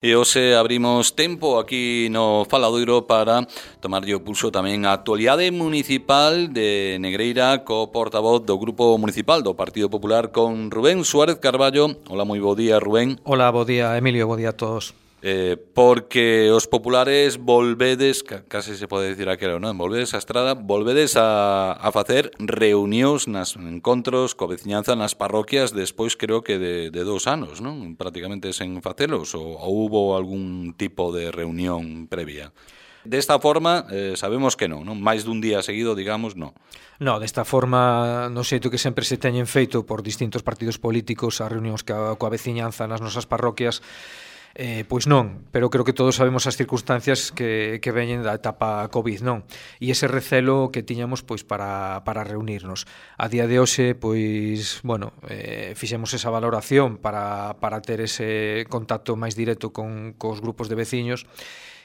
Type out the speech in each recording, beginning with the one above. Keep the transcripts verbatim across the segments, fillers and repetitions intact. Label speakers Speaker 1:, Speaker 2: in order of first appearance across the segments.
Speaker 1: E hoxe abrimos tempo aquí no Faladoiro para tomarlle o pulso tamén a actualidade municipal de Negreira co portavoz do Grupo Municipal do Partido Popular con Rubén Suárez Carballo. Hola, moi bo día, Rubén.
Speaker 2: Hola, bo día, Emilio, bo día a todos.
Speaker 1: Eh, porque os populares volvedes, case se pode dicir aquilo, non? Volvedes a estrada, volvedes a, a facer reunións nas encontros co veciñanza nas parroquias despois creo que de, de dous anos, non? Prácticamente sen facelos, ou, ou hubo algún tipo de reunión previa? Desta forma, eh, sabemos que non, non? Mais dun día seguido, digamos, non.
Speaker 2: No, desta forma, no xeito que sempre se teñen feito por distintos partidos políticos as reunións coa, coa veciñanza nas nosas parroquias, Eh, pois non, pero creo que todos sabemos as circunstancias que, que veñen da etapa COVID, non? E ese recelo que tiñamos pois para, para reunirnos. A día de hoxe, pois, bueno, eh, fixemos esa valoración para, para ter ese contacto máis directo con cos grupos de veciños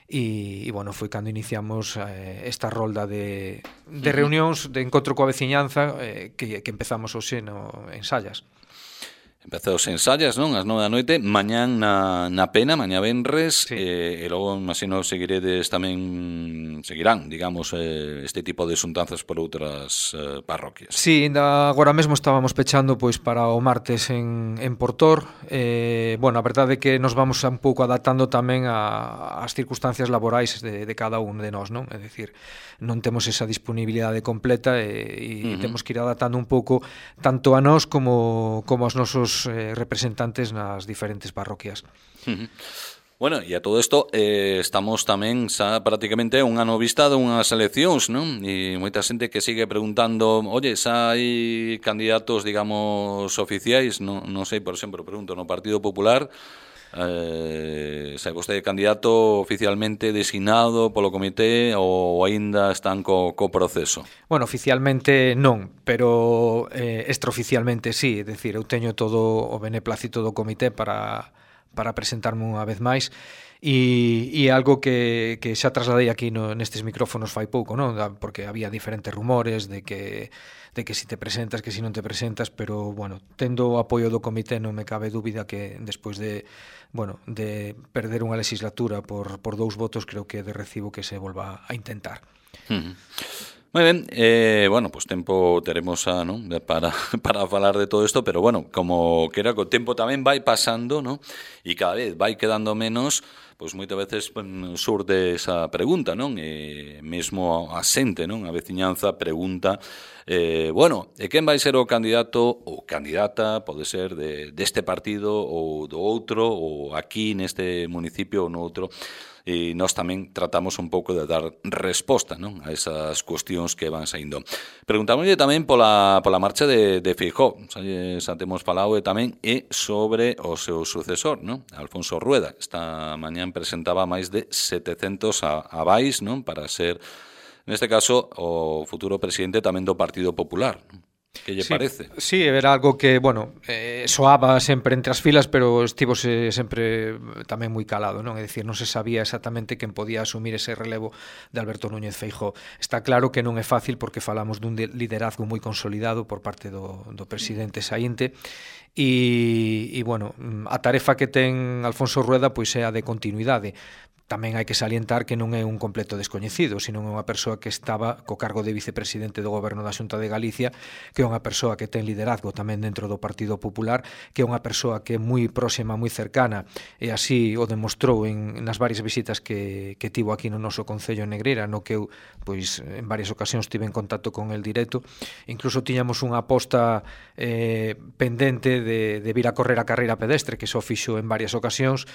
Speaker 2: e, e bueno, foi cando iniciamos eh, esta rolda de, de reunións, de encontro coa veciñanza eh, que, que empezamos hoxe no, en Sallas.
Speaker 1: Empezou os ensayas, non? As nove da noite, mañán na, na Pena, mañá venres, sí. eh, e logo, imagino, seguiredes tamén, seguirán, digamos, eh, este tipo de xuntanzas por outras eh, parroquias.
Speaker 2: Sí, ainda agora mesmo estábamos pechando pois para o martes en, en Portor. Eh, bueno, a verdade é que nos vamos un pouco adaptando tamén a, as circunstancias laborais de, de cada un de nós, non? É dicir, non temos esa disponibilidade completa e, e uh-huh. temos que ir adaptando un pouco tanto a nós como, como aos nosos Eh, representantes nas diferentes parroquias.
Speaker 1: Uh-huh. Bueno, e a todo isto eh, estamos tamén xa prácticamente un ano vista de unhas eleccións, non? E moita xente que sigue preguntando, oye, xa hai candidatos, digamos, oficiais, non, non sei, por exemplo, pregunto, no Partido Popular, eh, se vostede candidato oficialmente designado polo comité ou aínda están co, co proceso?
Speaker 2: Bueno, oficialmente non, pero eh, extraoficialmente sí, é dicir, eu teño todo o beneplácito do comité para, para presentarme unha vez máis e, e algo que, que xa trasladei aquí no, nestes micrófonos fai pouco, non? Porque había diferentes rumores de que de que si te presentas, que si non te presentas, pero, bueno, tendo o apoio do comité non me cabe dúbida que despois de, bueno, de perder unha legislatura por, por dous votos, creo que de recibo que se volva a intentar.
Speaker 1: Uh-huh. Moi ben, eh, bueno, pues tempo teremos a, ¿no? para, para falar de todo isto, pero bueno, como que era que o tempo tamén vai pasando, ¿no? E cada vez vai quedando menos, pois pues moitas veces pues, surde esa pregunta, non? E mesmo a xente, non? A veciñanza pregunta, eh, bueno, e quen vai ser o candidato ou candidata, pode ser de deste partido ou do outro, ou aquí neste municipio ou no outro. E nós tamén tratamos un pouco de dar resposta, non? A esas cuestións que van saindo. Preguntámoslle tamén pola, pola marcha de, de Feijóo, xa, xa temos falado e tamén e sobre o seu sucesor, non? Alfonso Rueda. Esta mañán presentaba máis de setecentos avais, non? Para ser, neste caso, o futuro presidente tamén do Partido Popular, non? Que lle
Speaker 2: sí,
Speaker 1: parece?
Speaker 2: Sí, era algo que, bueno, eh, soaba sempre entre as filas, pero estivose sempre tamén moi calado, non? É dicir, non se sabía exactamente quen podía asumir ese relevo de Alberto Núñez Feijóo. Está claro que non é fácil porque falamos dun liderazgo moi consolidado por parte do, do presidente saínte e, e, bueno, a tarefa que ten Alfonso Rueda pois é a de continuidade. Tamén hai que salientar que non é un completo descoñecido, sino é unha persoa que estaba co cargo de vicepresidente do Goberno da Xunta de Galicia, que é unha persoa que ten liderazgo tamén dentro do Partido Popular, que é unha persoa que é moi próxima, moi cercana, e así o demostrou en, nas varias visitas que, que tivo aquí no noso Concello en Negreira, no que eu, pois, en varias ocasións tive en contacto con el directo. Incluso tiñamos unha aposta eh, pendente de, de vir a correr a carreira pedestre, que só fixo en varias ocasións,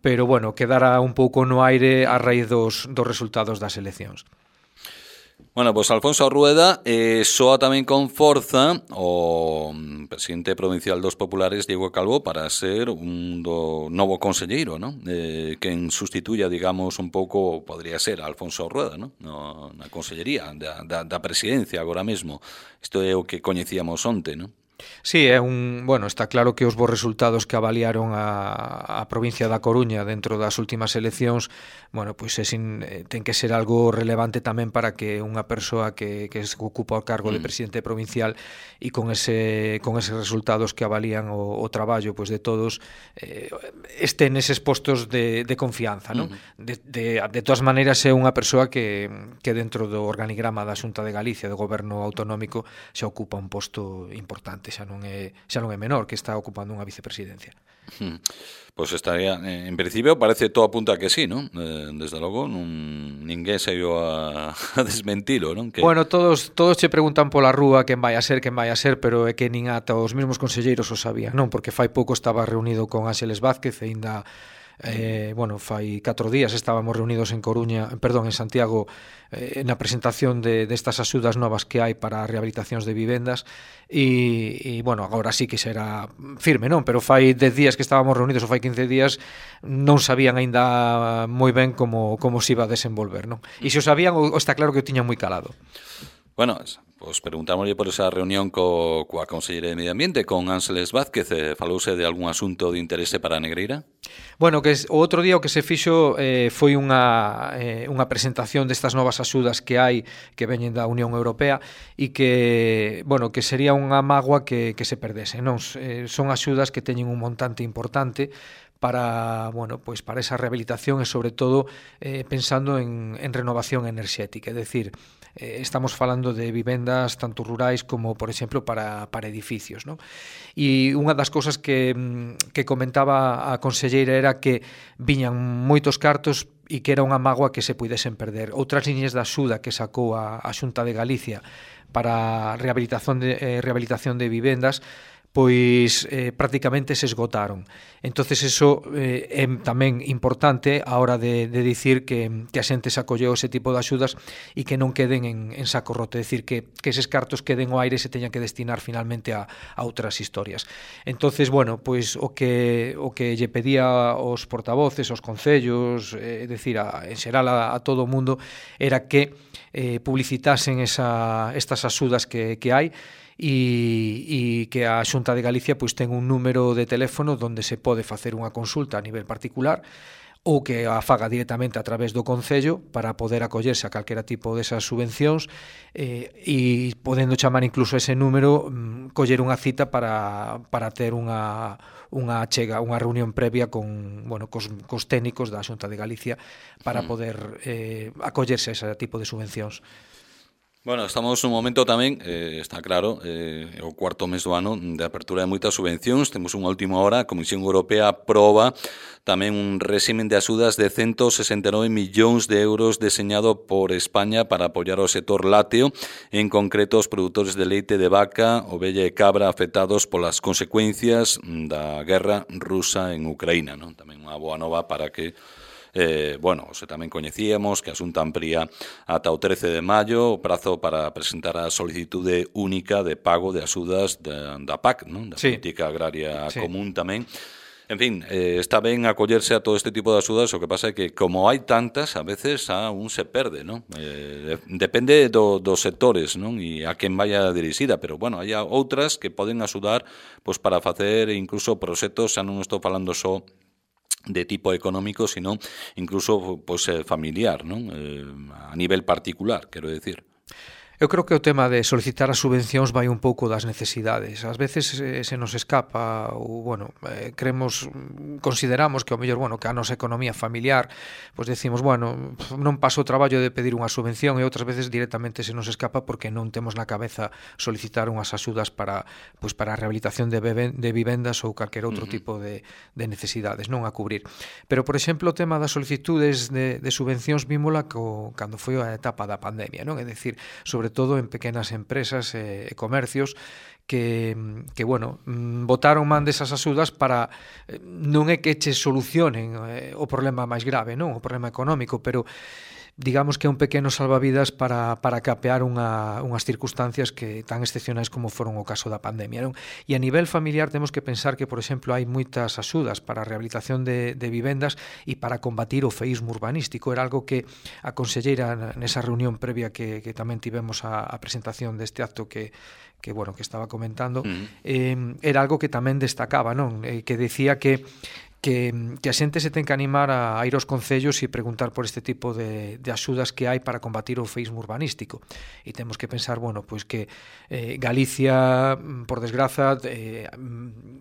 Speaker 2: pero, bueno, quedara un pouco no aire a raíz dos, dos resultados das eleccións.
Speaker 1: Bueno, pois pues Alfonso Rueda eh, soa tamén con forza o presidente provincial dos populares Diego Calvo para ser un do novo conselleiro, ¿no? Eh, quen sustituya, digamos, un pouco, podría ser Alfonso Rueda, ¿no? No, na consellería da, da, da presidencia agora mesmo. Isto é o que coñecíamos onte, ¿no?
Speaker 2: Sí, é un, bueno, está claro que os bons resultados que avaliaron a, a provincia da Coruña dentro das últimas eleccións, bueno, pois é sin, ten que ser algo relevante tamén para que unha persoa que, que se ocupa o cargo de presidente provincial e con ese con eses resultados que avalían o, o traballo pois de todos eh, este neses postos de, de confianza, non? Uh-huh. De, de, de todas maneiras é unha persoa que, que dentro do organigrama da Xunta de Galicia, do goberno autonómico, xa ocupa un posto importante, xa non é xa non é menor, que está ocupando unha vicepresidencia.
Speaker 1: Hmm. Pois pues estaría, en principio parece todo apunta que sí, non? Eh, desde logo non ninguén saiu a, a desmentilo, non? Que...
Speaker 2: Bueno, todos todos che preguntan pola rúa quen vai a ser, quen vai a ser, pero é que nin ata os mesmos conselleiros o sabían, non? Porque fai pouco estaba reunido con Ángeles Vázquez e ainda Eh, bueno, fai catro días estábamos reunidos en Coruña, perdón, en Santiago eh, na presentación de destas de axudas novas que hai para rehabilitacións de vivendas e, e bueno, agora sí que será firme, non? Pero fai dez días que estábamos reunidos ou fai quince días non sabían aínda moi ben como, como se iba a desenvolver, non? E se o sabían, o, está claro que o tiñan moi calado.
Speaker 1: Bueno, pues preguntámoslle por esa reunión co, coa Conselleira de Medio Ambiente, con Ángeles Vázquez, eh, falouse de algún asunto de interese para a Negreira?
Speaker 2: Bueno, que o outro día o que se fixo eh, foi unha, eh, unha presentación destas novas axudas que hai, que veñen da Unión Europea, e que, bueno, que sería unha mágoa que, que se perdese, non? Eh, son axudas que teñen un montante importante para, bueno, pues para esa rehabilitación e sobre todo eh, pensando en, en renovación enerxética, é dicir, eh, estamos falando de vivendas tanto rurais como, por exemplo, para, para edificios, ¿no? E unha das cousas que, que comentaba a conselleira era que viñan moitos cartos e que era unha mágoa que se puidesen perder. Outras liñas de axuda que sacou a, a Xunta de Galicia para a rehabilitación de, eh, rehabilitación de vivendas pois eh, prácticamente se esgotaron. Entonces eso eh, é tamén importante a hora de, de dicir que, que a xente se acolleu ese tipo de axudas e que non queden en, en saco roto, é dicir, que, que eses cartos queden ao aire e se teñan que destinar finalmente a, a outras historias. Entonces, bueno, pois o que o que lle pedía aos portavoces, aos concellos, é eh, dicir, a, en xeral a, a todo o mundo, era que eh, publicitasen esa, estas axudas que, que hai, e, e que a Xunta de Galicia pois ten un número de teléfono onde se pode facer unha consulta a nivel particular ou que a faga directamente a través do Concello para poder acollerse a calquera tipo desas subvencións eh, e podendo chamar incluso ese número mm, coller unha cita para, para ter unha, unha chega, unha reunión previa con, bueno, cos, cos técnicos da Xunta de Galicia para poder eh, acollerse a ese tipo de subvencións.
Speaker 1: Bueno, estamos nun momento tamén, eh, está claro, eh, o cuarto mes do ano de apertura de moitas subvencións. Temos unha última hora, a Comisión Europea aproba tamén un réximen de axudas de ciento sesenta e nove millóns de euros deseñado por España para apoiar o sector lácteo, en concreto os produtores de leite de vaca, ovella e cabra afectados polas consecuencias da guerra rusa en Ucraína, non? Tamén unha boa nova para que Eh, bueno, se tamén coñecíamos que a Xunta amplía ata o trece de maio o prazo para presentar a solicitude única de pago de axudas da, da P A C, non? Da sí. Política Agraria sí. Común tamén. En fin, eh, está ben acollerse a todo este tipo de axudas, o que pasa é que como hai tantas, a veces a un se perde, non? Eh, depende do, dos sectores, non? E a quen vaya dirixida, pero bueno, hai outras que poden axudar pois, para facer incluso proxectos, xa non estou falando só de tipo económico, sino incluso pues, familiar, ¿no? Eh, a nivel particular, quero decir.
Speaker 2: Eu creo que o tema de solicitar as subvencións vai un pouco das necesidades. Ás veces eh, se nos escapa ou, bueno, eh, creemos, consideramos que o mellor, bueno, que a nosa economía familiar, pois decimos, bueno, non paso o traballo de pedir unha subvención e outras veces directamente se nos escapa porque non temos na cabeza solicitar unhas axudas para, pois, para a rehabilitación de, beben, de vivendas ou calquer outro uh-huh. tipo de, de necesidades, non a cubrir. Pero, por exemplo, o tema das solicitudes de, de subvencións vímola co, cando foi a etapa da pandemia, non? É dicir, sobre sobre todo en pequenas empresas e, e comercios que, que bueno, botaron man desas axudas para, non é que che solucionen eh, o problema máis grave, non? O problema económico, pero digamos que é un pequeno salvavidas para, para capear unha, unhas circunstancias que tan excepcionais como foron o caso da pandemia, non? E a nivel familiar temos que pensar que, por exemplo, hai moitas axudas para a rehabilitación de, de vivendas e para combatir o feísmo urbanístico. Era algo que a conselleira nesa reunión previa que, que tamén tivemos a, a presentación deste acto que que bueno, que estaba comentando, uh-huh. eh, era algo que tamén destacaba, non? Eh, que decía que Que, que a xente se ten que animar a, a ir aos concellos e preguntar por este tipo de, de axudas que hai para combatir o feísmo urbanístico. E temos que pensar, bueno, pois que eh, Galicia, por desgraza, eh,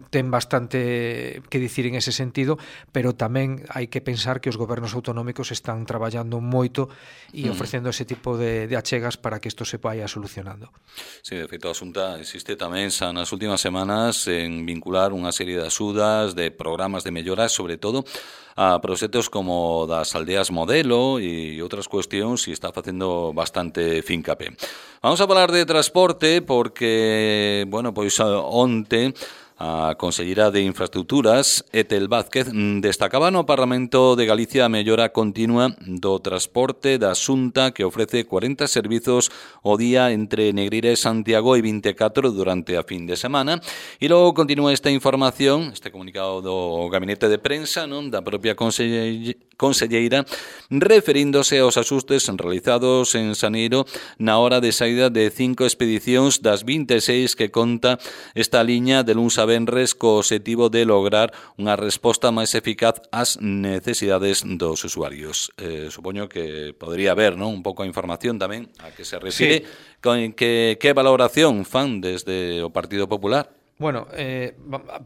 Speaker 2: ten bastante que dicir en ese sentido, pero tamén hai que pensar que os gobernos autonómicos están traballando moito e ofrecendo ese tipo de, de achegas para que isto se vaya solucionando.
Speaker 1: Sí, de feito, a Xunta insiste tamén xa nas últimas semanas en vincular unha serie de axudas, de programas de mellora, sobre todo a proxectos como das aldeas modelo e outras cuestións, e está facendo bastante fincapé. Vamos a falar de transporte porque, bueno, pois onte a Conselleira de Infraestructuras, Etel Vázquez, destacaba no Parlamento de Galicia a mellora continua do transporte da Xunta, que ofrece cuarenta servizos ao día entre Negreira e Santiago e vinte e catro durante a fin de semana. E logo continúa esta información, este comunicado do Gabinete de Prensa, non, da propia Conselleira, referíndose aos axustes realizados en Xaneiro na hora de saída de cinco expedicións das vinte e seis que conta esta liña de luns a venres co objetivo de lograr unha resposta máis eficaz ás necesidades dos usuarios. Eh, supoño que podría haber, non, un pouco a información tamén a que se refire, sí. Con que, que valoración fan desde o Partido Popular?
Speaker 2: Bueno, eh,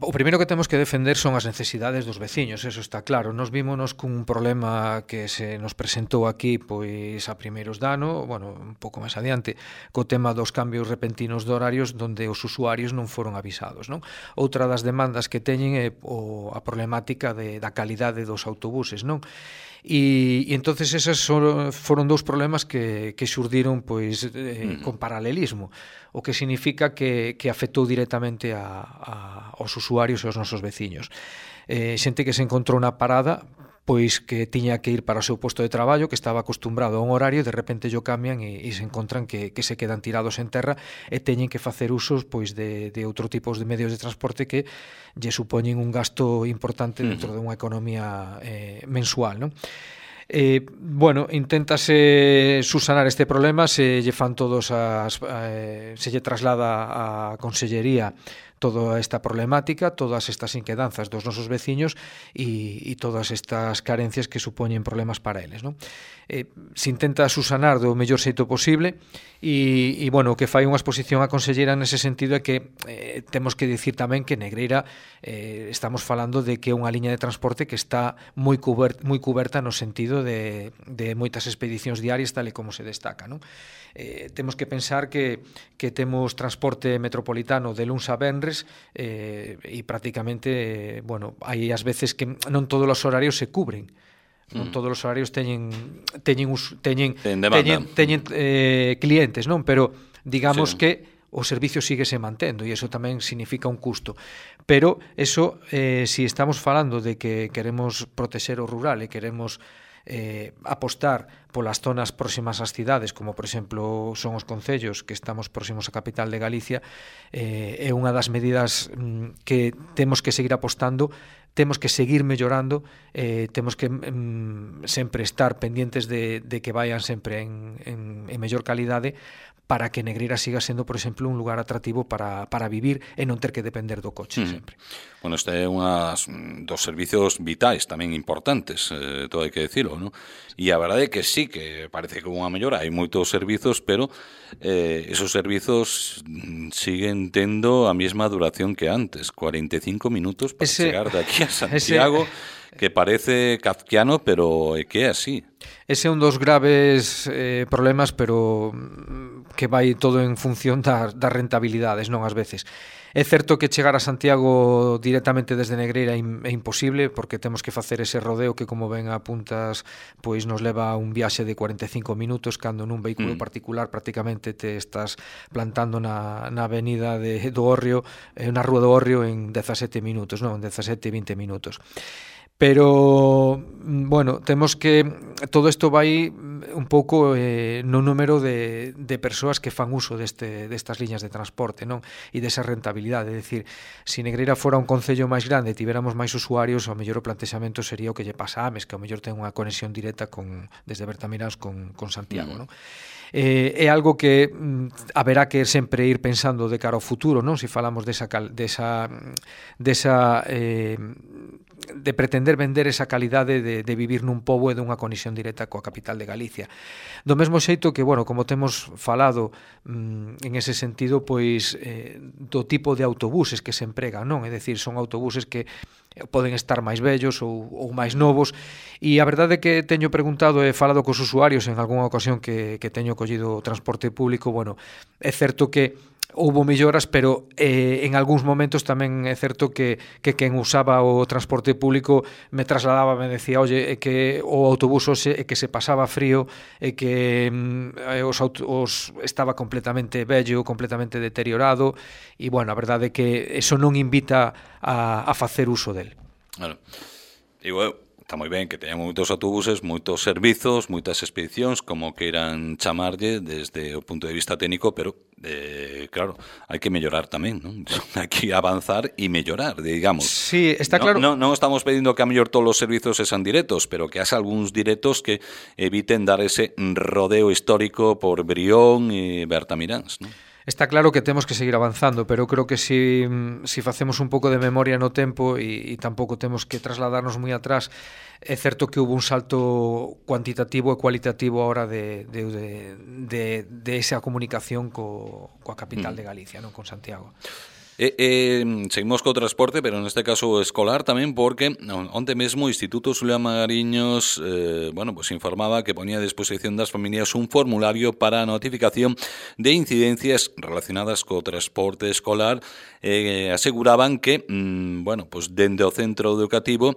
Speaker 2: o primeiro que temos que defender son as necesidades dos veciños, eso está claro. Nos vímonos cun problema que se nos presentou aquí pois a primeiros de ano, bueno, un pouco máis adiante, co tema dos cambios repentinos de horarios onde os usuarios non foron avisados, non? Outra das demandas que teñen é o, a problemática de, da calidade dos autobuses, non? E, e entonces esas son, foron dous problemas que, que xurdiron pois eh, mm. con paralelismo, o que significa que, que afectou directamente a, a, aos usuarios e aos nosos veciños. Eh, xente que se encontrou na parada pois que tiña que ir para o seu posto de traballo, que estaba acostumbrado a un horario, e de repente yo cambian e, e se encontran que, que se quedan tirados en terra e teñen que facer usos pois de, de outro tipos de medios de transporte que lle supoñen un gasto importante dentro de unha economía eh, mensual, non? Eh, bueno, inténtase subsanar este problema, se lle fan todos as, eh, se lle traslada a Consellería toda esta problemática, todas estas inquedanzas dos nosos veciños e, e todas estas carencias que supoñen problemas para eles, non? Eh, se intenta subsanar do mellor xeito posible e, e bueno, o que fai unha exposición a Conselleira nese sentido é que eh, temos que dicir tamén que Negreira eh, estamos falando de que é unha liña de transporte que está moi cuberta, moi cuberta no sentido de, de moitas expedicións diarias tal e como se destaca, non? Eh, temos que pensar que, que temos transporte metropolitano de luns a venres eh, e prácticamente, eh, bueno, hai as veces que non todos os horarios se cubren. Non todos os horarios teñen teñen teñen teñen, teñen eh, clientes, non, pero digamos sí. que o servicio síguese mantendo e iso tamén significa un custo. Pero eso, eh, si estamos falando de que queremos protexer o rural e queremos eh, apostar polas zonas próximas ás cidades, como por exemplo son os concellos que estamos próximos á capital de Galicia, eh, é unha das medidas mm, que temos que seguir apostando, temos que seguir mellorando, eh, temos que mm, sempre estar pendientes de, de que vayan sempre en, en, en mellor calidade, para que Negreira siga sendo, por exemplo, un lugar atractivo para, para vivir e non ter que depender do coche mm. sempre.
Speaker 1: Bueno, este é unhas dos servizos vitais tamén importantes, eh, todo hai que decirlo, ¿no? E a verdade é que sí, que parece que unha mellora, hai moitos servizos, pero eh, esos servizos siguen tendo a mesma duración que antes, cuarenta e cinco minutos para ese, chegar de aquí a Santiago, ese... que parece kafkiano, pero é que é así.
Speaker 2: Ese é un dos graves eh, problemas, pero que vai todo en función das, das rentabilidades, non ás veces. É certo que chegar a Santiago directamente desde Negreira é imposible, porque temos que facer ese rodeo que, como ben apuntas, pois nos leva a un viaxe de cuarenta e cinco minutos, cando nun vehículo mm. particular prácticamente te estás plantando na, na avenida de, do Hórreo, eh, na rúa do Hórreo en dezasete minutos, non, en dezasete, vinte minutos. Pero, bueno, temos que todo isto vai un pouco eh, no número de, de persoas que fan uso deste, destas liñas de transporte, non? E desa rentabilidade, é dicir, se Negreira fora un concello máis grande e tiveramos máis usuarios, ao mellor o plantexamento sería o que lle pasa a Ames, que ao mellor ten unha conexión directa con, desde Bertamiráns con, con Santiago, non? Eh, é algo que mm, haberá que sempre ir pensando de cara ao futuro, non? Se falamos desa, desa, desa eh, de pretender vender esa calidade de, de vivir nun pobo e dunha conexión directa coa capital de Galicia. Do mesmo xeito que, bueno, como temos falado mm, en ese sentido, pois eh, do tipo de autobuses que se empregan, non? É dicir, son autobuses que poden estar máis vellos ou, ou máis novos, e a verdade é que teño preguntado e falado cos usuarios en algunha ocasión que, que teño collido o transporte público. Bueno, é certo que houbo melloras, pero eh, en algúns momentos tamén é certo que, que quen usaba o transporte público me trasladaba, me decía, oye, é que o autobús hoxe é que se pasaba frío, é que mm, os, os estaba completamente vello, completamente deteriorado, e, bueno, a verdade é que eso non invita a, a facer uso del.
Speaker 1: Claro. E, bueno, está moi ben que teñan moitos autobuses, moitos servizos, moitas expedicións, como queiran chamarlle desde o punto de vista técnico, pero eh, claro, hai que mellorar tamén, non? Hai que avanzar e mellorar, digamos.
Speaker 2: Sí, está claro.
Speaker 1: Non no, no estamos pedindo que a mellor todos os servizos sean directos, pero que haxa algúns directos que eviten dar ese rodeo histórico por Brión e Bertamiráns, non?
Speaker 2: Está claro que temos que seguir avanzando, pero creo que si, si facemos un pouco de memoria no tempo e, e tampouco temos que trasladarnos moi atrás, é certo que hubo un salto cuantitativo e cualitativo a hora de, de, de, de, de esa comunicación co, coa capital de Galicia, non, con Santiago.
Speaker 1: Eh, eh, seguimos co transporte, pero neste caso escolar tamén, porque onte mesmo o Instituto Xulián Magariños eh, bueno, pues informaba que ponía a disposición das familias un formulario para a notificación de incidencias relacionadas co transporte escolar. Eh, aseguraban que, mm, bueno, pues dende o centro educativo,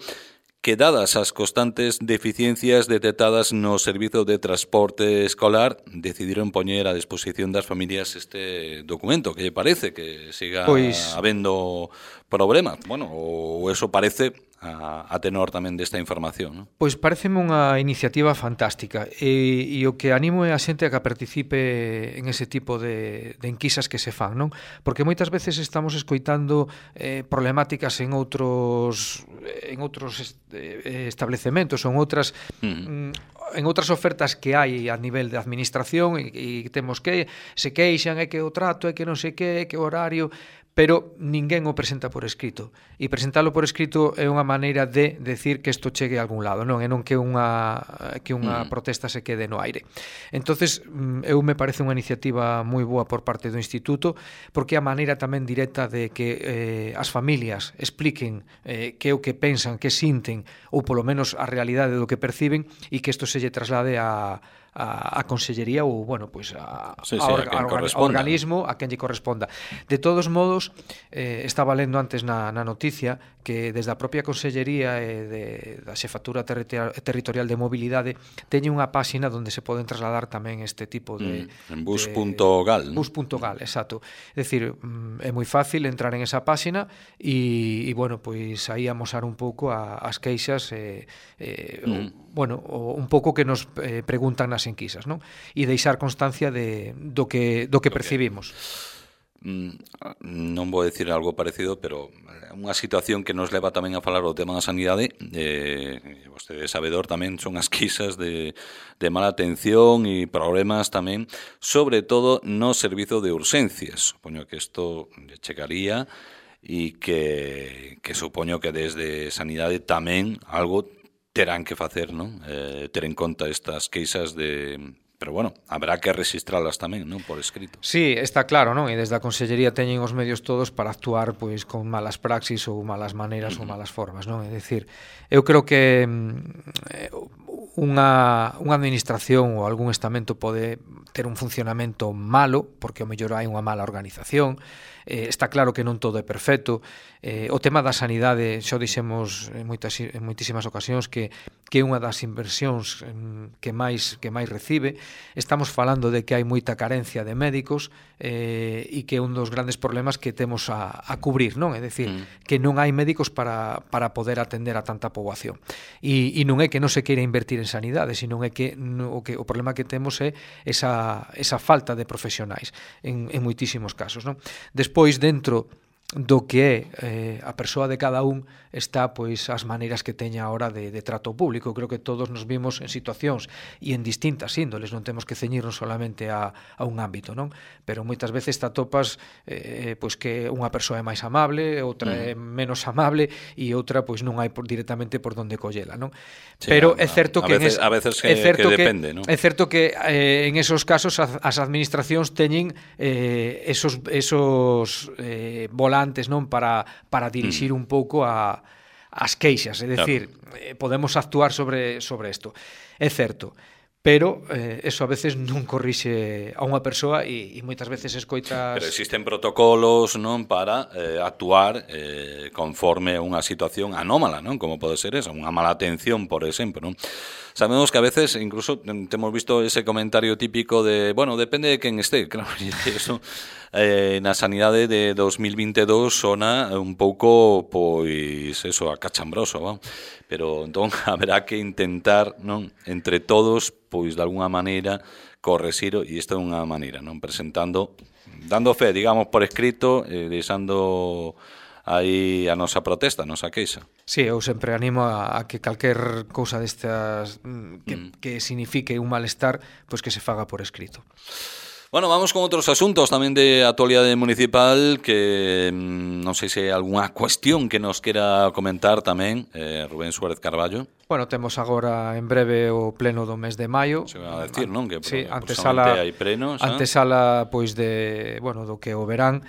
Speaker 1: que dadas as constantes deficiencias detectadas no servizo de transporte escolar, decidiron poñer a disposición das familias este documento. Que lle parece? Que siga pois... habendo problemas? Bueno, ou eso parece a, a tenor tamén desta información, non?
Speaker 2: Pois pareceme unha iniciativa fantástica, e, e o que animo é a xente a que participe en ese tipo de, de enquisas que se fan, non? Porque moitas veces estamos escoitando eh, problemáticas en outros en outros eh, establecementos ou en outras mm. en outras ofertas que hai a nivel de administración, e, e temos que se queixan, é que o trato, é que non sei que, é que o horario, pero ninguén o presenta por escrito, e presentalo por escrito é unha maneira de decir que isto chegue a algún lado, non é non que unha que unha mm. protesta se quede no aire. Entonces, eu me parece unha iniciativa moi boa por parte do Instituto, porque é a maneira tamén directa de que eh, as familias expliquen eh, que é o que pensan, que sinten, ou polo menos a realidade do que perciben, e que isto se lle traslade a a, a consellería ou, bueno, pues a,
Speaker 1: sí, sí,
Speaker 2: a, orga, a, orga, a organismo a quen lle corresponda. De todos modos, eh, estaba lendo antes na, na noticia que desde a propia consellería e de, da xefatura territorial, territorial de mobilidade teñe unha páxina onde se poden trasladar tamén este tipo de...
Speaker 1: Mm, en bus punto gal, ¿no?
Speaker 2: bus punto gal, exacto. É dicir, é moi fácil entrar en esa páxina e, e bueno, pois aí amosar un pouco a, as queixas e, eh, mm. bueno, o, un pouco que nos eh, preguntan nas enquisas, non? E deixar constancia de, do que, do que percibimos.
Speaker 1: Non vou decir algo parecido, pero unha situación que nos leva tamén a falar o tema da sanidade, eh, vostede sabedor tamén, son as queixas de, de mala atención e problemas tamén, sobre todo no servizo de urxencias. Supoño que isto chegaría e que, que supoño que desde sanidade tamén algo terán que facer, non? Eh, ter en conta estas queixas de... Pero, bueno, habrá que registralas tamén, non? Por escrito.
Speaker 2: Sí, está claro, non? E desde a Consellería teñen os medios todos para actuar pois con malas praxis ou malas maneiras uh-huh. ou malas formas, non? É dicir, eu creo que mm, unha, unha administración ou algún estamento pode ter un funcionamento malo, porque ao mellor hai unha mala organización. Eh, está claro que non todo é perfecto. Eh, o tema da sanidade, xa o dixemos en, moitas, en moitísimas ocasións, que, que é unha das inversións que máis, que máis recibe. Estamos falando de que hai moita carencia de médicos eh, e que é un dos grandes problemas que temos a, a cubrir, non? É dicir, mm. que non hai médicos para, para poder atender a tanta poboación. E, e non é que non se queira invertir en sanidade, sino é que no, o, que, o problema que temos é esa, esa falta de profesionais en, en moitísimos casos, non? Despois, dentro do que é eh, a persoa de cada un está pois as maneiras que teña a hora de, de trato público. Creo que todos nos vimos en situacións e en distintas índoles, non temos que ceñirnos solamente a, a un ámbito, non? Pero moitas veces te atopas eh, pois que unha persoa é máis amable, outra mm. é menos amable e outra pois non hai por, directamente por donde collela, non?
Speaker 1: Sí,
Speaker 2: pero
Speaker 1: a,
Speaker 2: é certo
Speaker 1: a
Speaker 2: que
Speaker 1: veces,
Speaker 2: en es,
Speaker 1: a veces que,
Speaker 2: é certo
Speaker 1: que
Speaker 2: que
Speaker 1: depende, non?
Speaker 2: É certo que eh, en esos casos as, as administracións teñen eh, esos esos eh, volantes antes non para para dirixir mm. un pouco a as queixas, é dicir, claro. eh, podemos actuar sobre sobre isto. É certo, pero eh, eso a veces non corrixe a unha persoa e, e moitas veces escoitas...
Speaker 1: Pero existen protocolos, non, para eh, actuar eh, conforme a unha situación anómala, non? Como pode ser esa, unha mala atención, por exemplo, non? Sabemos que a veces, incluso, hemos visto ese comentario típico de, bueno, depende de quen esté, claro, e eso eh, na sanidade de dos mil veintidós sona un pouco, pois, eso, acachambroso, ¿no? Pero entón haberá que intentar, non, entre todos, pois, de alguna maneira, correxir, e isto é unha maneira, non, presentando, dando fe, digamos, por escrito, eh, deixando aí a nosa protesta, a nosa queixa.
Speaker 2: Sí, eu sempre animo a, a que calquer cousa destas que, mm. que signifique un malestar, pois que se faga por escrito.
Speaker 1: Bueno, vamos con outros asuntos tamén de actualidade municipal que non sei se hai algunha cuestión que nos quera comentar tamén, eh, Rubén Suárez Carballo.
Speaker 2: Bueno, temos agora en breve o pleno do mes de maio.
Speaker 1: Se va a decir, non? Que
Speaker 2: sí,
Speaker 1: antesala hai plenos,
Speaker 2: antesala pois de, bueno, do que o verán.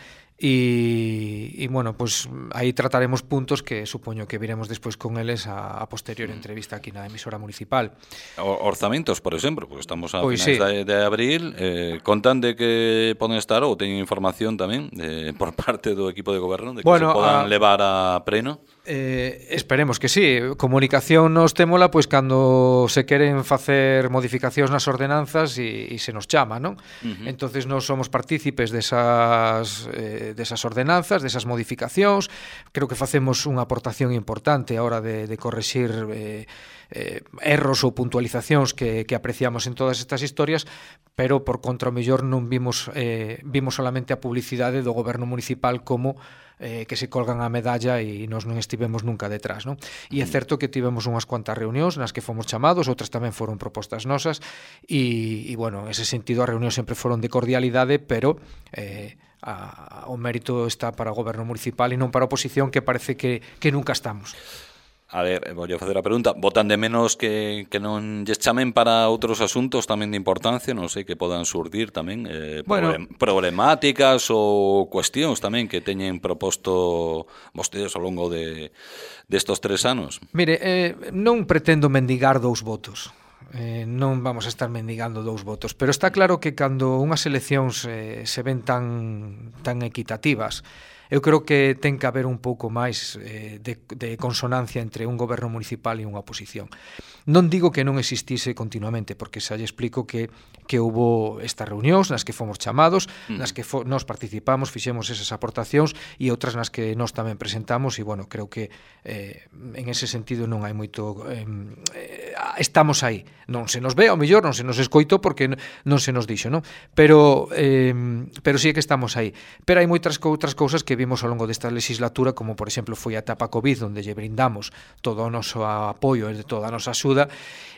Speaker 2: E, e bueno, pues aí trataremos puntos que supoño que viremos despois con eles a, a posterior entrevista aquí na emisora municipal.
Speaker 1: O, orzamentos, por exemplo, porque estamos a
Speaker 2: pues
Speaker 1: finais
Speaker 2: sí.
Speaker 1: de, de abril, eh, contan de que poden estar ou teñen información tamén de, por parte do equipo de goberno de que
Speaker 2: bueno,
Speaker 1: se podan
Speaker 2: a...
Speaker 1: levar a pleno.
Speaker 2: Eh, esperemos que sí. Comunicación nos témola pois cando se queren facer modificacións nas ordenanzas e, e se nos chama, non? Uh-huh. Entonces nós somos partícipes desas, eh, desas ordenanzas, desas modificacións. Creo que facemos unha aportación importante a hora de, de correxir eh, eh, erros ou puntualizacións que, que apreciamos en todas estas historias, pero por contra o mellor non vimos eh, vimos solamente a publicidade do goberno municipal como eh, que se colgan a medalla e nós non estivemos nunca detrás, non? E é certo que tivemos unhas cuantas reunións nas que fomos chamados, outras tamén foron propostas nosas e, e bueno, en ese sentido as reunións sempre foron de cordialidade, pero eh, a, o mérito está para o goberno municipal e non para a oposición, que parece que, que nunca estamos.
Speaker 1: A ver, vou facer a pregunta. Votan de menos que, que non lles chamen para outros asuntos tamén de importancia, non sei, que podan surdir tamén eh,
Speaker 2: bueno,
Speaker 1: problem, problemáticas ou cuestións tamén que teñen proposto vostedes ao longo de destos tres anos?
Speaker 2: Mire, eh, non pretendo mendigar dous votos. Eh, non vamos a estar mendigando dous votos, pero está claro que cando unhas eleccións eh, se ven tan, tan equitativas, eu creo que ten que haber un pouco máis eh, de, de consonancia entre un goberno municipal e unha oposición. Non digo que non existise continuamente, porque xa lle explico que, que houbo estas reunións nas que fomos chamados, mm. nas que fo, nos participamos, fixemos esas aportacións e outras nas que nós tamén presentamos e, bueno, creo que eh, en ese sentido non hai moito... Eh, estamos aí. Non se nos ve, ao mellor non se nos escoito porque non se nos dixo, non? Pero, eh, pero sí que estamos aí. Pero hai moitas outras cousas que vimos ao longo desta legislatura, como por exemplo foi a etapa COVID, onde lle brindamos todo o noso apoio e toda a nosa axuda,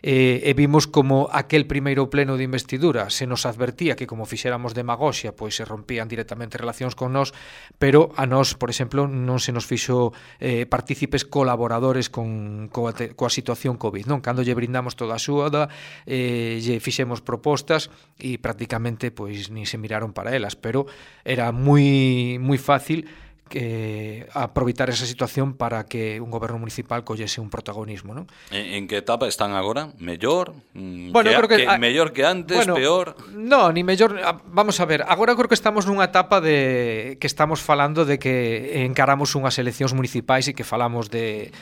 Speaker 2: eh, e vimos como aquel primeiro pleno de investidura se nos advertía que como fixéramos demagoxia, pois se rompían directamente relacións con nós, pero a nós, por exemplo, non se nos fixo eh, partícipes colaboradores con coa, te, coa situación COVID, non? Cando lle brindamos toda a axuda, eh, lle fixemos propostas e prácticamente pois ni se miraron para elas, pero era moi moi fácil que aproveitar esa situación para que un goberno municipal collese un protagonismo, non?
Speaker 1: En, en que etapa están agora? Mellor?
Speaker 2: Bueno,
Speaker 1: que,
Speaker 2: creo que,
Speaker 1: que
Speaker 2: a,
Speaker 1: mellor que antes,
Speaker 2: bueno,
Speaker 1: peor?
Speaker 2: No, ni mellor, vamos a ver, agora creo que estamos nunha etapa de que estamos falando de que encaramos unhas eleccións municipais e que falamos de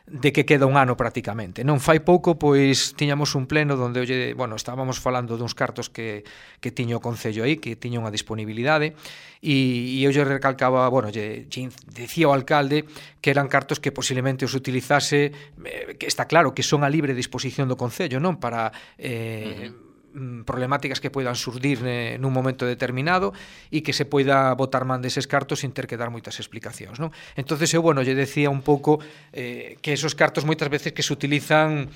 Speaker 2: de que queda un ano prácticamente. Non fai pouco, pois, tiñamos un pleno onde, oye, bueno, estábamos falando duns cartos que, que tiña o Concello aí, que tiña unha disponibilidade, e, e eu lle recalcaba, bueno, lle, lle decía o alcalde que eran cartos que posiblemente os utilizase, eh, que está claro que son a libre disposición do Concello, non? Para... Eh, uh-huh. problemáticas que poidan surdir eh, nun momento determinado e que se poida botar man deses cartos sin ter que dar moitas explicacións, non? Entonces eu, bueno, lle decía un pouco eh, que esos cartos moitas veces que se utilizan,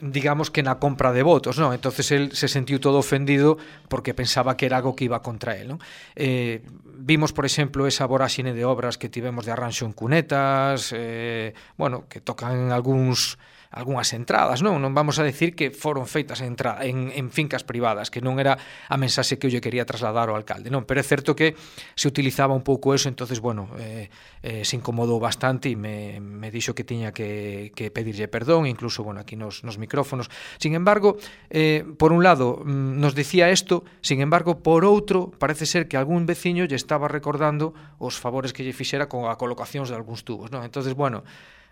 Speaker 2: digamos que na compra de votos, non? Entonces el se sentiu todo ofendido porque pensaba que era algo que iba contra él, non? Eh, vimos, por exemplo, esa voráxine de obras que tivemos de arranxo en cunetas, eh, bueno, que tocan algúns algunhas entradas, non? Non vamos a decir que foron feitas en, entra, en, en fincas privadas, que non era a mensaxe que eu lle quería trasladar ao alcalde, non? Pero é certo que se utilizaba un pouco eso, entonces, bueno, eh, eh, se incomodou bastante e me, me dixo que tiña que, que pedirlle perdón, incluso, bueno, aquí nos, nos micrófonos. Sin embargo, eh, por un lado, nos dicía isto, sin embargo, por outro, parece ser que algún veciño lle estaba recordando os favores que lle fixera con a colocacións de algúns tubos, non? Entonces, bueno,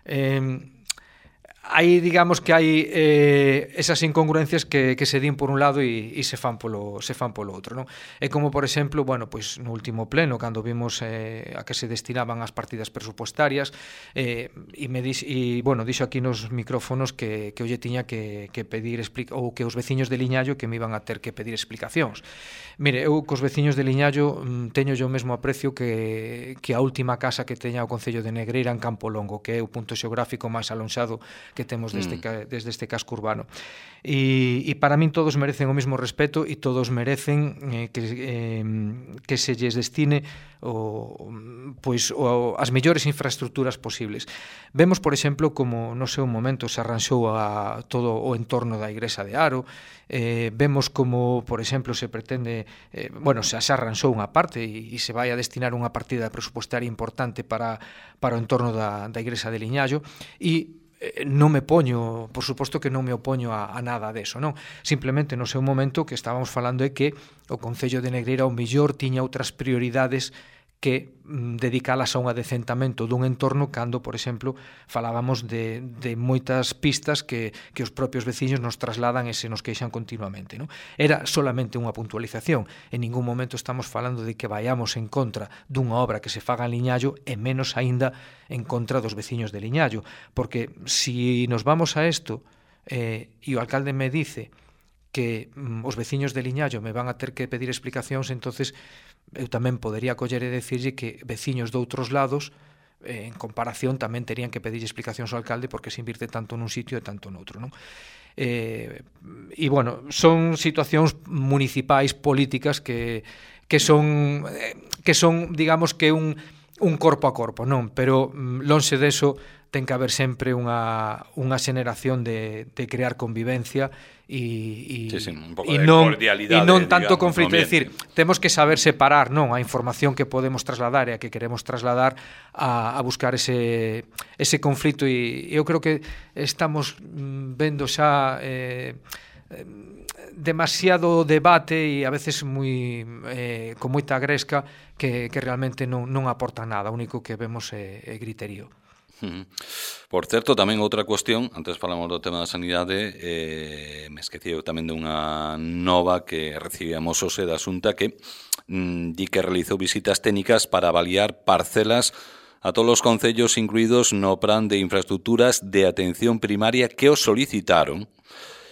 Speaker 2: eh, aí digamos que hai eh, esas incongruencias que, que se din por un lado e, e se fan polo se fan polo outro, non? É como, por exemplo, bueno, pois no último pleno cando vimos eh, a que se destinaban as partidas presupuestarias eh, e me dis, e bueno, dixo aquí nos micrófonos que que eu lle tiña que que pedir explica ou que os veciños de Liñallo que me iban a ter que pedir explicacións. Mire, eu cos veciños de Liñallo teño yo mesmo aprecio que que a última casa que teña o Concello de Negreira en Campo Longo, que é o punto xeográfico máis alonxado que temos desde, mm. desde este casco urbano. E, e para min todos merecen o mesmo respeto e todos merecen eh, que, eh, que se lles destine o, pois, o, as mellores infraestructuras posibles. Vemos, por exemplo, como no seu momento se arranxou a todo o entorno da Igrexa de Aro, eh, vemos como, por exemplo, se pretende, eh, bueno, se, se arranxou unha parte e, e se vai a destinar unha partida presupuestaria importante para, para o entorno da, da Igrexa de Liñallo e non me poño, por suposto que non me opoño a, a nada deso, non? Simplemente no seu momento que estábamos falando é que o Concello de Negreira ao mellor tiña outras prioridades que mm, dedicalas a un adecentamento dun entorno cando, por exemplo, falábamos de, de moitas pistas que, que os propios veciños nos trasladan e se nos queixan continuamente, non? Era solamente unha puntualización. En ningún momento estamos falando de que vayamos en contra dunha obra que se faga en Liñallo e menos aínda en contra dos veciños de Liñallo, porque si nos vamos a isto eh, e o alcalde me dice que mm, os veciños de Liñallo me van a ter que pedir explicacións, entonces eu tamén podería coller e decirlle que veciños de outros lados eh, en comparación tamén terían que pedir explicacións ao alcalde porque se invirte tanto nun sitio e tanto noutro, non? Eh, e bueno, son situacións municipais políticas que, que son que son, digamos que un, un corpo a corpo, non? Pero lonxe deso ten que haber sempre unha, unha xeneración de, de crear convivencia e, e,
Speaker 1: sí, sí, un pouco
Speaker 2: e
Speaker 1: de
Speaker 2: non,
Speaker 1: cordialidade,
Speaker 2: e non tanto
Speaker 1: digamos,
Speaker 2: conflito, é dicir, temos que saber separar, non, a información que podemos trasladar e a que queremos trasladar a, a buscar ese, ese conflito e eu creo que estamos vendo xa eh, demasiado debate e a veces moi eh, con moita gresca que, que realmente non, non aporta nada, o único que vemos é, é griterío.
Speaker 1: Por certo, tamén outra cuestión, antes falamos do tema da sanidade, eh, me esqueci tamén dunha nova que recibíamos hoxe da Xunta que mm, di que realizou visitas técnicas para avaliar parcelas a todos os concellos incluídos no plan de infraestructuras de atención primaria que os solicitaron.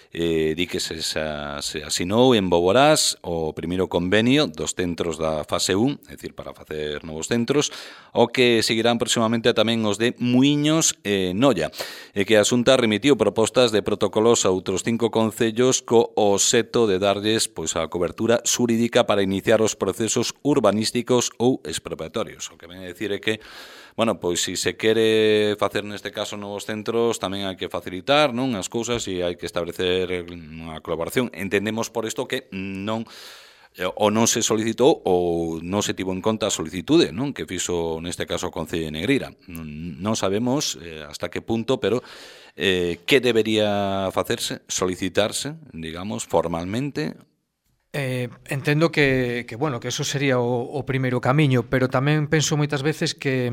Speaker 1: Eh, di que se, se asinou en Boborás o primeiro convenio dos centros da fase un, é dicir, para facer novos centros, o que seguirán próximamente tamén os de Muiños e Noia, e que a Xunta remitiu propostas de protocolos a outros cinco concellos co obxecto de darlles pois a cobertura xurídica para iniciar os procesos urbanísticos ou expropiatorios. O que ven a decir é que bueno, pois se se quere facer neste caso novos centros, tamén hai que facilitar, non, as cousas e hai que establecer unha colaboración. Entendemos por isto que non ou non se solicitou ou non se tivo en conta a solicitude, non, que fixo neste caso o Concello de Negreira. Non sabemos eh, hasta que punto, pero eh, que debería facerse, solicitarse, digamos, formalmente.
Speaker 2: Eh, entendo que, que, bueno, que eso sería o, o primeiro camiño, pero tamén penso moitas veces que,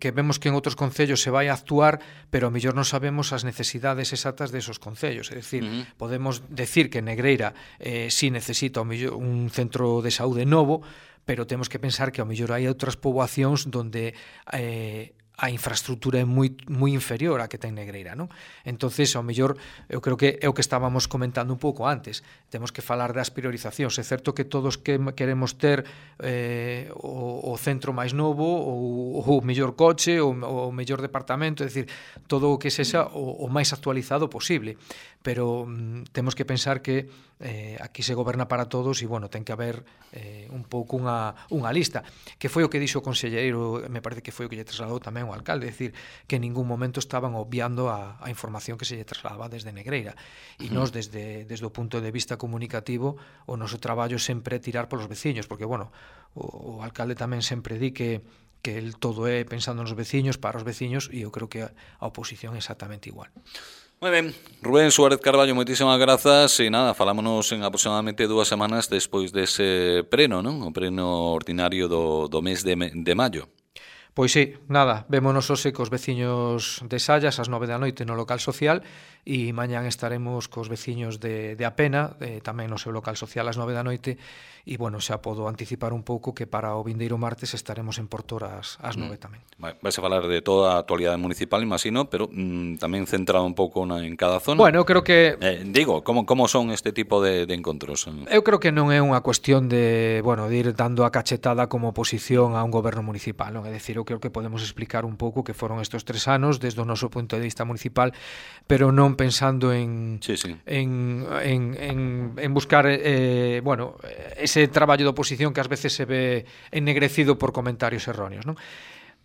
Speaker 2: que vemos que en outros concellos se vai a actuar, pero a mellor non sabemos as necesidades exactas desos concellos. É dicir, uh-huh. podemos decir que Negreira eh, sí necesita o mellor un centro de saúde novo, pero temos que pensar que ao mellor hai outras poboacións donde eh, a infraestructura é moi moi inferior á que ten Negreira, non? Entonces, ao mellor, eu creo que é o que estábamos comentando un pouco antes. Temos que falar das priorizacións. É certo que todos que queremos ter eh, o, o centro máis novo, ou o mellor coche, ou o mellor departamento, é dicir, todo o que sexa o, o máis actualizado posible. Pero mm, temos que pensar que eh, aquí se goberna para todos e, bueno, ten que haber eh, un pouco unha, unha lista, que foi o que dixo o conselleiro, me parece que foi o que lle trasladou tamén o alcalde, é dicir, que en ningún momento estaban obviando a, a información que se lle trasladaba desde Negreira. E nós, desde, desde o punto de vista comunicativo, o noso traballo sempre é tirar polos veciños, porque, bueno, o, o alcalde tamén sempre di que que el todo é pensando nos veciños, para os veciños, e eu creo que a, a oposición é exactamente igual.
Speaker 1: Moi ben, Rubén Suárez Carballo, moitísimas grazas e nada, falámonos en aproximadamente dúas semanas despois dese preno, non? O preno ordinario do, do mes de, de maio.
Speaker 2: Pois sí, nada, vémonos hoxe cos veciños de Sallas ás nove da noite no local social e mañán estaremos cos veciños de, de Apena, eh, tamén no seu local social ás nove da noite e, bueno, xa podo anticipar un pouco que para o vindeiro martes estaremos en Portor ás, ás nove mm. tamén.
Speaker 1: Vais a falar de toda a actualidade municipal, imagino, pero mm, tamén centrado un pouco na, en cada zona.
Speaker 2: Bueno, eu creo que...
Speaker 1: Eh, digo, como, como son este tipo de, de encontros?
Speaker 2: Eu creo que non é unha cuestión de, bueno, de ir dando a cachetada como oposición a un goberno municipal, non? É dicir, eu creo que podemos explicar un pouco que foron estes tres anos desde o noso punto de vista municipal, pero non pensando en
Speaker 1: sí, sí.
Speaker 2: en, en, en, en buscar eh, bueno, ese traballo de oposición que ás veces se ve ennegrecido por comentarios erróneos, non?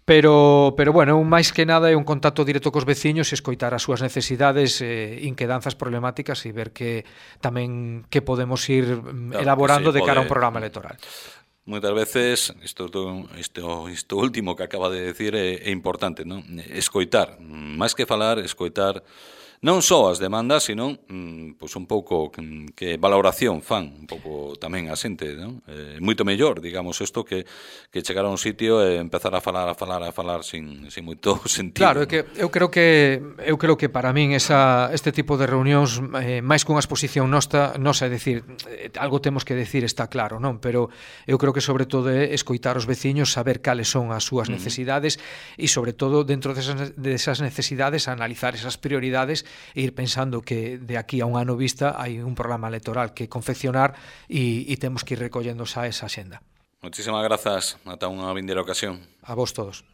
Speaker 2: Pero, pero bueno, máis que nada é un contacto directo cos veciños e escoitar as súas necesidades, eh, inquedanzas problemáticas e ver que tamén que podemos ir claro, elaborando sí, de cara pode... a un programa electoral.
Speaker 1: Moitas veces, isto, isto, isto último que acaba de decir é, é importante, non? Escoitar, máis que falar, escoitar non só as demandas, sino mm, pues un pouco que, que valoración fan un pouco tamén a xente, non? Eh, moito mellor, digamos, isto que, que chegar a un sitio e empezar a falar, a falar, a falar sin, sin moito sentido.
Speaker 2: Claro, é
Speaker 1: ¿no?
Speaker 2: que eu creo que eu creo que para min esa, este tipo de reunións eh, máis que unha exposición nosa, nosa, é dicir, eh, algo temos que decir, está claro, non? Pero eu creo que sobre todo é escoitar os veciños, saber cales son as súas necesidades e sobre todo dentro desas, desas necesidades analizar esas prioridades e ir pensando que de aquí a un ano vista hai un programa electoral que confeccionar e, e temos que ir recollendo xa esa xenda.
Speaker 1: Moitísimas grazas, ata unha vindeira ocasión.
Speaker 2: A vos todos.